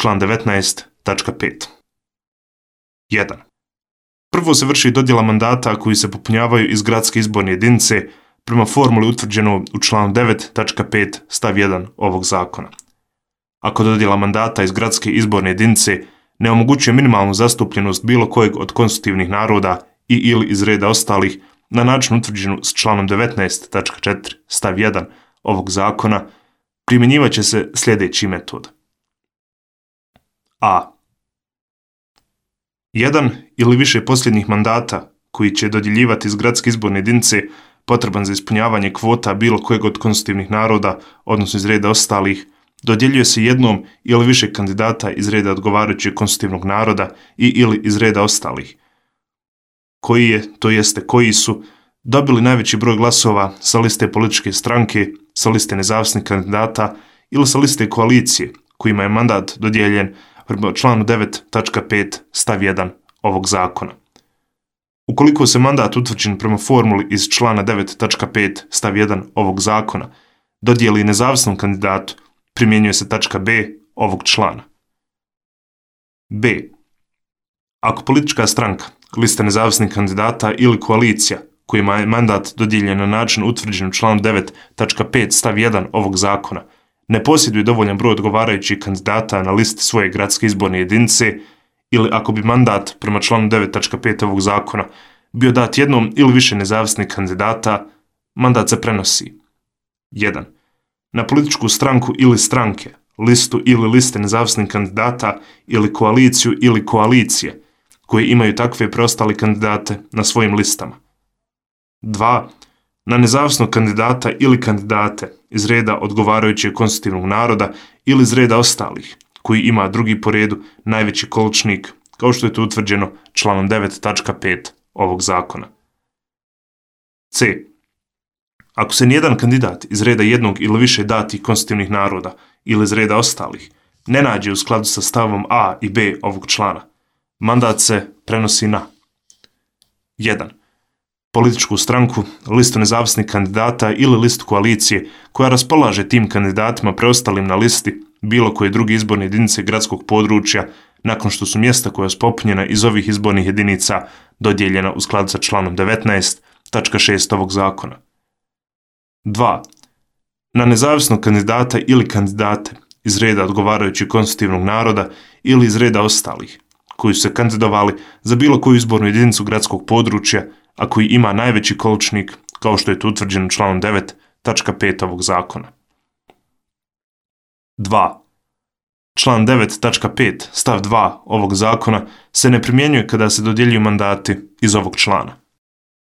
član 19.5. 1. Prvo se vrši dodjela mandata koji se popunjavaju iz gradske izborne jedinice prema formuli utvrđenoj u članu 9.5 stav 1 ovog zakona. Ako dodjela mandata iz gradske izborne jedinice ne omogućuje minimalnu zastupljenost bilo kojeg od konstitutivnih naroda i ili iz reda ostalih na način utvrđenu s članom 19.4 stav 1 ovog zakona, primjenjivat će se sljedeći metod. A. Jedan ili više posljednjih mandata koji će dodjeljivati iz gradske izborne jedinice potreban za ispunjavanje kvota bilo kojeg od konstitutivnih naroda, odnosno iz reda ostalih, dodjeljuje se jednom ili više kandidata iz reda odgovarajućeg konstitutivnog naroda i ili iz reda ostalih, koji su dobili najveći broj glasova sa liste političke stranke, sa liste nezavisnih kandidata ili sa liste koalicije kojima je mandat dodijeljen prema članu 9.5 stav 1 ovog zakona. Ukoliko se mandat utvrđen prema formuli iz člana 9.5 stav 1 ovog zakona dodijeli nezavisnom kandidatu, primjenjuje se tačka B ovog člana. B. Ako politička stranka, lista nezavisnih kandidata ili koalicija kojima je mandat dodijeljen na način utvrđen u članu 9.5 stav 1 ovog zakona ne posjeduje dovoljan broj odgovarajućih kandidata na listi svoje gradske izborne jedinice ili ako bi mandat prema članu 9.5 ovog zakona bio dat jednom ili više nezavisnih kandidata, mandat se prenosi 1. na političku stranku ili stranke, listu ili liste nezavisnih kandidata ili koaliciju ili koalicije koji imaju takve preostale kandidate na svojim listama. 2. na nezavisnog kandidata ili kandidate iz reda odgovarajućeg konstitutivnog naroda ili iz reda ostalih, koji ima drugi po redu najveći količnik, kao što je to utvrđeno članom 9.5 ovog zakona. C. Ako se nijedan kandidat iz reda jednog ili više datih konstitutivnih naroda ili iz reda ostalih ne nađe u skladu sa stavom A i B ovog člana, mandat se prenosi na 1. političku stranku, listu nezavisnih kandidata ili listu koalicije koja raspolaže tim kandidatima preostalim na listi bilo koje druge izborne jedinice gradskog područja nakon što su mjesta koja su popunjena iz ovih izbornih jedinica dodijeljena u skladu sa članom 19.6 ovog zakona. 2. na nezavisnog kandidata ili kandidate iz reda odgovarajućeg konstitutivnog naroda ili iz reda ostalih, koji su se kandidovali za bilo koju izbornu jedinicu gradskog područja, a koji ima najveći količnik, kao što je to utvrđeno članom 9.5 ovog zakona. 2. Član 9.5 stav 2 ovog zakona se ne primjenjuje kada se dodjeljuju mandati iz ovog člana.